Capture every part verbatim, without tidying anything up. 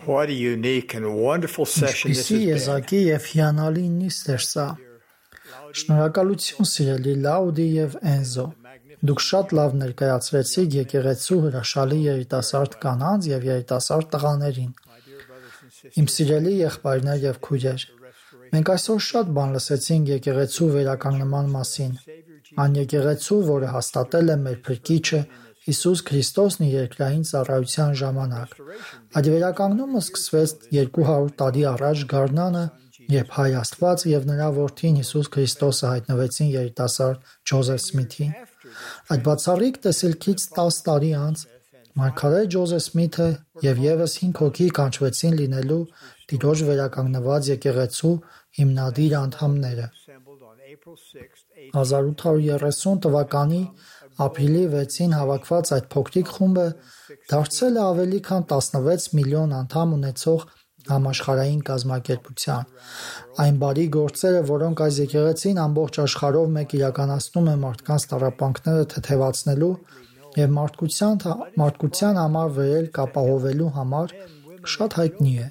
What a unique and wonderful session this Ինչպիսի has been. եզակի եւ հիանալի նիստ էր սա։ Շնորհակալություն սիրելի Լաուդի եւ Էնզո։ Դուք շատ լավ ներկայացրեցիք եկեղեցու հրաշալի երիտասարդ կանանց եւ երիտասարդ տղաներին։ Իմ սիրելի եղբայրներ եւ քույրեր, մենք այսօր շատ բան լսեցինք եկեղեցու վերականգնման մասին։ Այն եկեղեցու, որը հաստատել է մեր Փրկիչը Հիսուս Քրիստոսն իր երկրային ծառայության ժամանակ։ Այդ վերականգնումը սկսվեց երկու հարյուր տարի առաջ Գարնանը, երբ Հայ Աստված եւ նրա որդին Հիսուս Քրիստոսը հայտնվեցին երիտասարդ Ջոզեֆ Սմիթին։ Այդ բացառիկ տեսիլքից տասը տարի անց մարգարե Ջոզեֆ Սմիթը եւ եւս հինգ հոգի կանչվեցին լինելու Տիրոջ վերականգնված եկեղեցու հիմնադիր անդամները։ հազար ութ հարյուր երեսուն թվականի ապրիլի վեցին հավաքված այդ փոքրիկ խումբը դարձել է ավելի քան տասնվեց միլիոն անդամ ունեցող համաշխարհային կազմակերպության։ Այն բարի գործերը, որոնք այս եկեղեցին ամբողջ աշխարհով մեկ իրականացնում է մարդկանց տառապանքները թեթևացնելու եւ մարդկության մարդկության համար վերելք ապահովելու համար, շատ հայտնի է,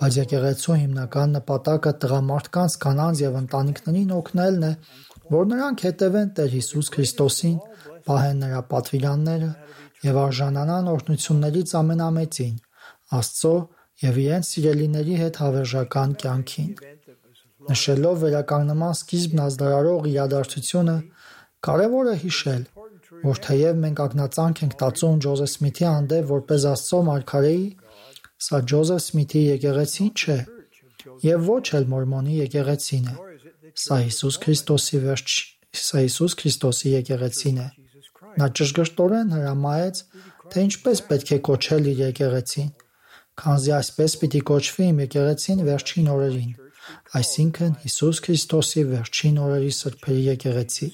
բայց եկեղեցու հիմնական նպատակը տղամարդկանց, կանանց եւ ընտանիքներին օգնելն է, որ նրանք հետևեն Տեր Հիսուս Քրիստոսին, պահեն նրա պատվիրանները եւ արժանանան օրհնություններից ամենամեծին, Աստծո եւ իրենց սիրելիների հետ հավերժական կյանքին։ Նշելով վերականգնման սկիզբն ազդարարող իրադարձությունը, կարևոր է հիշել, որ թեև մենք ակնածանք ենք տածում Ջոզեֆ Սմիթի հանդեպ որպես Աստծո մարգարեի, սա Ջոզեֆ Սմիթի եկեղեցին չէ եւ ոչ էլ Մորմոնի եկեղեցին է։ Սա Հիսուս Քրիստոսի վերջ, սա Հիսուս Քրիստոսի եկեղեցին է։ Նա ճշգրտորեն հրամայեց, թե ինչպես պետք է կոչել իր եկեղեցին, քանզի այսպես պիտի կոչվի իմ եկեղեցին վերջին օրերին, այսինքն Հիսուս Քրիստոսի վերջին օրերի սրբերի եկեղեցի։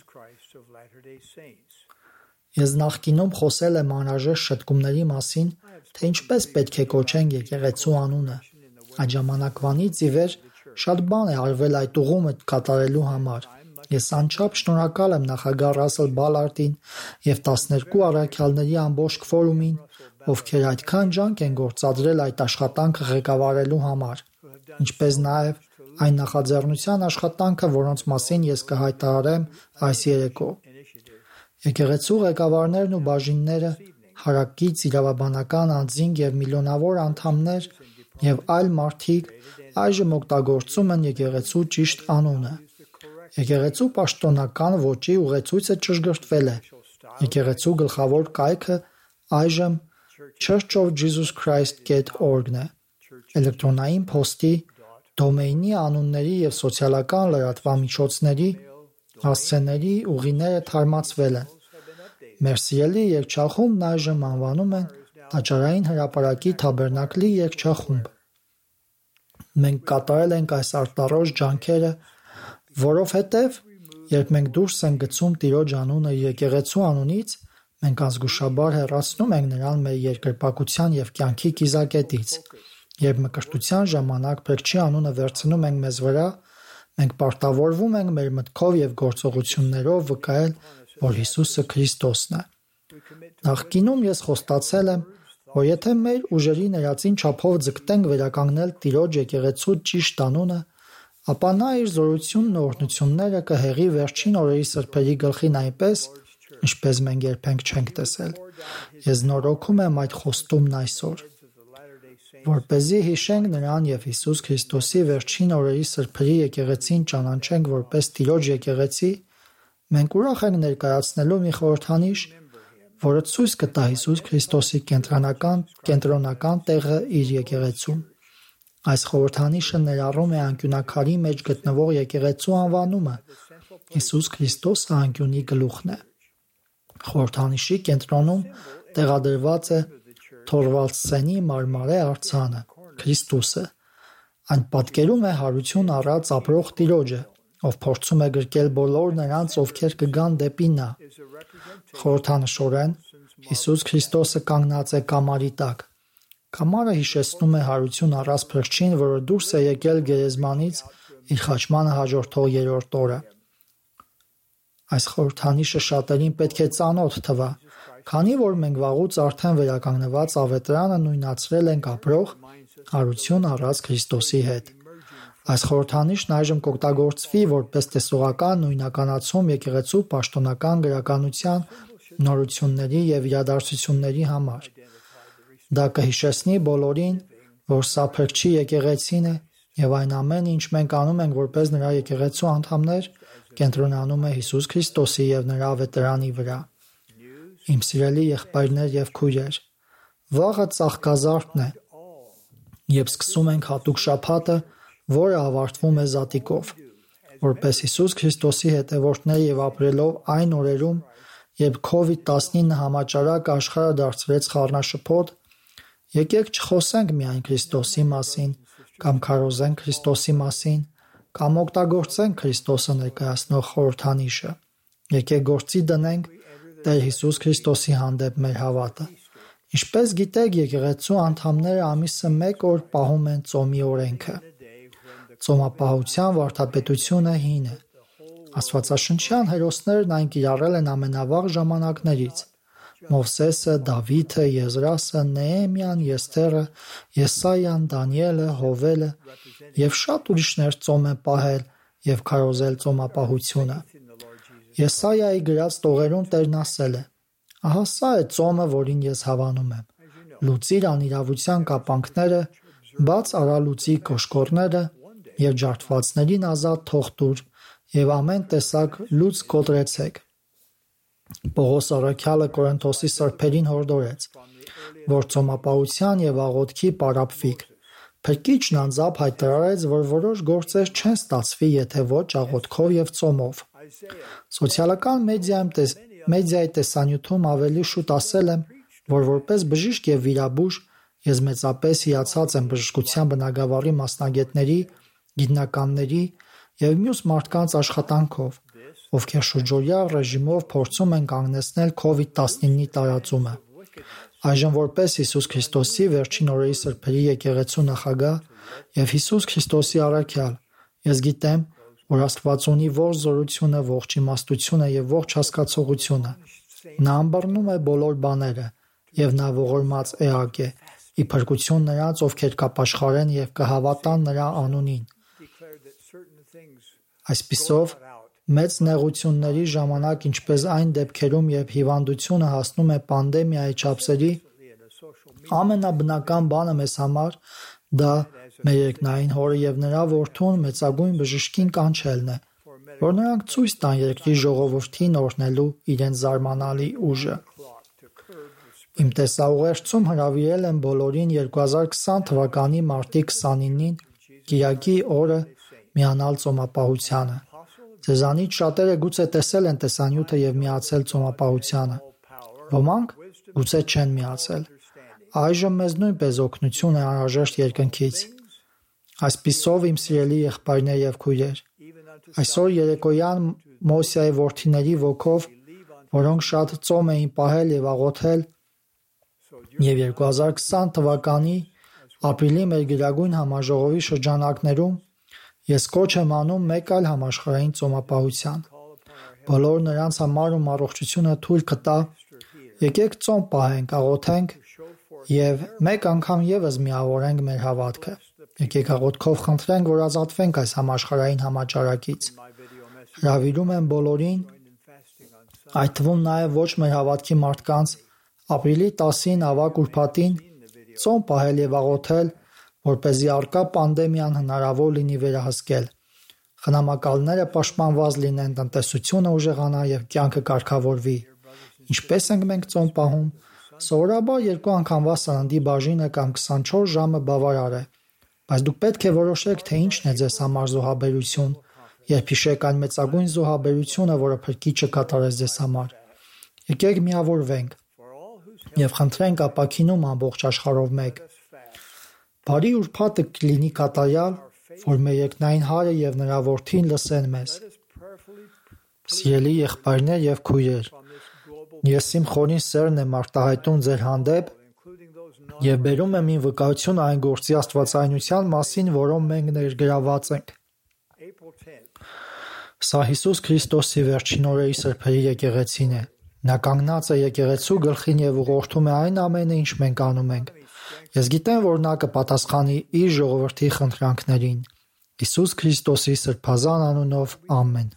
Ես նախկինում խոսել եմ անհրաժեշտ շտկումների մասին, թե ինչպես պետք է կոչենք եկեղեցու անունը։ Այդ ժամանակվանից ի վեր շատ բան է արվել այդ ուղումը կատարելու համար։ Ես անչափ շնորհակալ եմ նախագահ Ռասել Բալարտին եւ տասներկու առաքյալների ամբողջ քվորումին, ովքեր այդքան ջանք են գործադրել այդ աշխատանքը ղեկավարելու համար, ինչպես նաեւ այն նախաձեռնության աշխատանքը, որոնց մասին ես կհայտարարեմ այս երեկո։ Եկեղեցու ղեկավարներն ու բաժինները, հարակից իրավաբանական անձինք եւ միլիոնավոր անդամներ եւ այլ մարդիկ այժմ օգտագործում են եկեղեցու ճիշտ անունը։ Եկեղեցու պաշտոնական ոճի ուղեցույցը ճշգրտվել է։ Եկեղեցու գլխավոր կայքը այժմ Church of Jesus Christ dot org-ն է։ Էլեկտրոնային փոստի, դոմեյնի անունների եւ սոցիալական լրատվամիջոցների հասցեների ուղիները թարմացվել են։ Մեր սիրելի երգչախումբն այժմ անվանում են Տաճարային հրապարակի Թաբերնակլի երգչախումբ։ Մենք կատարել ենք այս արտարոց ջանքերը, որովհետև երբ մենք դուրս ենք գցում Տիրոջ անունը եկեղեցու անունից, մենք ազգուշաբար հեռացնում ենք նրան մեր երկրպագության եւ կյանքի կիզակետից։ Երբ մկրտության ժամանակ Փրկչի անունը վերցնում ենք մեզ վրա, մենք պարտավորվում ենք մեր մտքով եւ գործողություններով վկայել, որ Հիսուսը Քրիստոսն է։ Նախկինում ես խոստացել եմ, որ եթե մեր ուժերի ներածին չափով ձգտենք վերականգնել Տիրոջ եկեղեցու ճիշտ անունը, ապա նա իր զորությունն ու օրհնությունները կհեղի վերջին օրերի սրբերի գլխին այնպես, ինչպես մենք երբեք չենք տեսել։ Ես նորոգում եմ այդ խոստումն այսօր, որպեսզի հիշենք նրան եւ Հիսուս Քրիստոսի վերջին օրերի սրբերի եկեղեցին ճանաչենք որպես Տիրոջ եկեղեցի, մենք ուրախ ենք ներկայացնելու մի խորհրդանիշ, որը ցույց կտա Հիսուս Քրիստոսի կենտրոնական կենտրոնական տեղը իր եկեղեցում։ Այս խորհրդանիշը ներառում է անկյունակարի մեջ գտնվող եկեղեցու անվանումը։ Հիսուս Քրիստոսը անկյունի գլուխն է։ Խորհրդանիշի կենտրոնում տեղադրված է Թորվալդսենի մարմարե արձանը, Քրիստոսը։ Այն պատկերում է հարություն առած ապրող Տիրոջը, ով փորձում է գրկել բոլոր նրանց, ովքեր կգան դեպի նա։ Խորհրդանշորեն Հիսուս Քրիստոսը կանգնած է կամարի տակ։ Կամարը հիշեցնում է հարություն առած Փրկչին, որը դուրս է եկել գերեզմանից իր խաչմանը հաջորդող երրորդ օրը։ Այս խորհրդանիշը շատերին պետք է ծանոթ թվա, Քանի որ մենք վաղուց արդեն վերականգնված ավետարանը նույնացրել ենք ապրող հարություն առած Քրիստոսի հետ։ Այս խորհրդանիշն այժմ կօգտագործվի որպես տեսողական նույնականացում եկեղեցու պաշտոնական գրականության նորությունների և իրադարձությունների համար։ Դա կհիշեցնի բոլորին, որ սա փրկչի եկեղեցին է և այն ամենը, ինչ մենք անում ենք որպես նրա եկեղեցու անդամներ, կենտրոնանում է Հիսուս Քրիստոսի և նրա ավետարանի վրա։ Իմ սիրելի եղբայրներ և քույրեր, վաղը ծաղկազարդն է, և սկսում ենք հատուկ շաբաթը, որը ավարտվում է զատիկով։ Որպես Հիսուս Քրիստոսի հետևորդներ և ապրելով այն օրերում, երբ քովիդ տասնինը համաճարակ աշխարհը դարձրեց խառնաշփոթ, եկեք չխոսենք միայն Քրիստոսի մասին, կամ քարոզենք Քրիստոսի մասին, կամ օգտագործենք Քրիստոսը ներկայացնող խորհրդանիշը։ Եկեք գործի դնենք Տեր Հիսուս Քրիստոսի հանդեպ մեր հավատը։ Ինչպես գիտեք, եկեղեցու անդամները ամիսը մեկ օր պահում են ծոմի օրենքը։ Ծոմապահության վարդապետությունը հին է։ Աստվածաշնչյան հերոսներն այն կիրառել են ամենավաղ ժամանակներից։ Մովսեսը, Դավիթը, Եզրասը, Նեեմիան, Եսթերը, Եսայան, Դանիելը, Հովելը և շատ ուրիշներ ծոմ են պահել և քարոզել ծոմապահությունը։ Եսայայի գրած տողերում Տերն ասել է. «Ահա սա է ծոմը, որին ես հավանում եմ. լուծիր անիրավության կապանքները, բաց արա լուծի կոշկորները և ջարդվածներին ազատ թող տուր և ամեն տեսակ լուծ կոտրեցեք»։ Պողոս առաքյալը Կորինթոսի սրբերին հորդորեց, որ ծոմապահության և աղոթքի պարապվիկ։ Փրկիչն անձամբ հայտարարեց, որ որոշ գործեր չեն ստացվի, եթե ոչ աղոթքով և ծոմով։ Սոցիալական մեդիայում մեդիայի տեսանյութում ավելի շուտ ասել եմ, որ որպես բժիշկ և վիրաբույժ ես մեծապես հիացած եմ բժշկության բնագավառի մասնագետների, գիտնականների և մյուս մարդկանց աշխատանքով, ովքեր շուրջօրյա ռեժիմով փորձում են կանգնեցնել քովիդ տասնինի տարածումը։ Այժմ որպես Հիսուս Քրիստոսի վերջին օրերի սրբերի եկեղեցու նախագահ և Հիսուս Քրիստոսի առաքյալ, ես գիտեմ, որ Աստված ունի ողջ զորությունը, ողջ իմաստությունը և ողջ հասկացողությունը։ Նա ըմբռնում է բոլոր բաները, և նա ողորմած էակ է, ի փրկություն նրանց, ովքեր կապաշխարեն և կհավատան նրա անունին։ Այսպիսով, մեծ նեղությունների ժամանակ, ինչպես այն դեպքերում, երբ հիվանդությունը հասնում է պանդեմիայի չափսերի, ամենաբնական բանը մեզ համար դա մեր երկնային Հորը և նրա որդուն մեծագույն բժշկին կանչելն է, որ նրանք ցույց տան երկրի ժողովրդին օրհնելու իրենց զարմանալի ուժը։ Իմ տեսաուղերձում հրավիրել եմ բոլորին երկու հազար քսան թվականի մարտի քսանինին կիրակի օրը միանալ ծոմապահությանը։ Ձեզանից շատերը գուցե տեսել են տեսանյութը և միացել ծոմապահությանը։ Ոմանք գուցե չեն միացել։ Այժմ մեզ նույնպես օգնություն է անհրաժեշտ երկնքից։ Այսպիսով, իմ սիրելի եղբայրներ և քույրեր, այսօր երեկոյան Մոսեի որդիների ոգով, որոնք շատ ծոմ էին պահել և աղոթել, և երկու հազար քսան թվականի ապրիլի մեր գերագույն համաժողովի շրջանակներում ես կոչ եմ անում մեկ այլ համաշխարհային ծոմապահության։ Բոլոր նրանց համար, ում առողջությունը թույլ կտա, եկեք ծոմ պահենք, աղոթենք և մեկ անգամ ևս միավորենք մեր հավատքը։ Եկեք աղոթքով խնդրենք, որ ազատվենք այս համաշխարհային համաճարակից։ Հրավիրում եմ բոլորին, այդ թվում նաև ոչ մեր հավատքի մարդկանց, ապրիլի տասին ավագ ուրբաթին ծոմ պահել և աղոթել, որպեսզի առկա պանդեմիան հնարավոր լինի վերահսկել, խնամակալները պաշտպանված լինեն, տնտեսությունը ուժեղանա և կյանքը կարգավորվի։ Ինչպես ենք մենք ծոմ պահում։ Սովորաբար երկու անգամվա սննդի բաժինը կամ քսանչորս ժամը բավարար է, բայց դուք պետք է որոշեք, թե ինչն է ձեզ համար զոհաբերություն, երբ հիշեք այն մեծագույն զոհաբերությունը, որը Փրկիչը կատարեց ձեզ համար։ Եկեք միավորվենք և խնդրենք ապաքինում ամբողջ աշխարհով մեկ։ Բարի ուրբաթը կլինի կատարյալ, որ մեր երկնային Հայրը և նրա որդին լսեն մեզ։ Սիրելի եղբայրներ և քույրեր, ես իմ խորին սերն եմ արտահայտում ձեր հանդեպ և բերում եմ իմ վկայությունը այն գործի աստվածայնության մասին, որում մենք ներգրավված ենք։ Սա Հիսուս Քրիստոսի վերջին օրերի սրբերի եկեղեցին է։ Նա կանգնած է եկեղեցու գլխին եւ ուղղորդում է այն ամենը, ինչ մենք անում ենք։ Ես գիտեմ, որ նա կպատասխանի իր ժողովրդի խնդրանքներին։ Հիսուս Քրիստոսի սրբազան անունով, ամեն։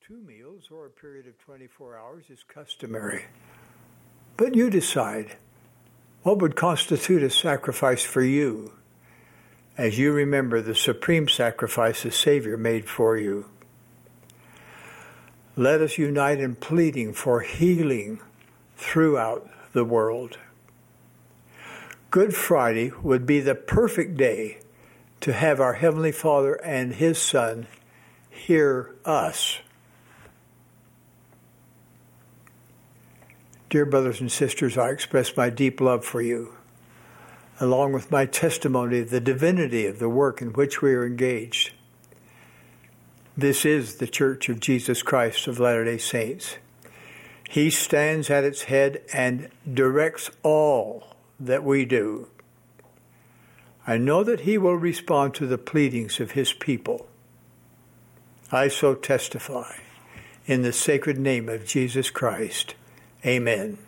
Two meals or a period of twenty-four hours is customary. But you decide what would constitute a sacrifice for you as you remember the supreme sacrifice the Savior made for you. Let us unite in pleading for healing throughout the world. Good Friday would be the perfect day to have our Heavenly Father and His Son hear us. Dear brothers and sisters, I express my deep love for you, along with my testimony of the divinity of the work in which we are engaged. This is the Church of Jesus Christ of Latter-day Saints. He stands at its head and directs all that we do. I know that He will respond to the pleadings of His people. I so testify in the sacred name of Jesus Christ. Amen.